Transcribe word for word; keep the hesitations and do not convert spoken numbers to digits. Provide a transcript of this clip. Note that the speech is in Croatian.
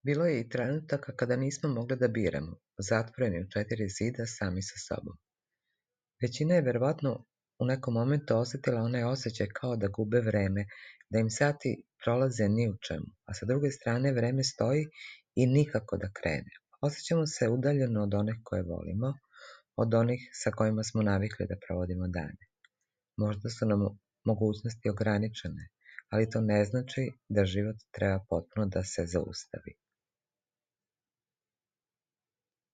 Bilo je i trenutaka kada nismo mogli da biramo, zatvoreni u četiri zida sami sa sobom. Većina je verovatno u nekom momentu osjetila onaj osjećaj kao da gube vreme, da im sati prolaze ni u čemu, a sa druge strane vreme stoji i nikako da krene. Osjećamo se udaljeno od onih koje volimo, od onih sa kojima smo navikli da provodimo dane. Možda su nam mogućnosti ograničene, ali to ne znači da život treba potpuno da se zaustavi.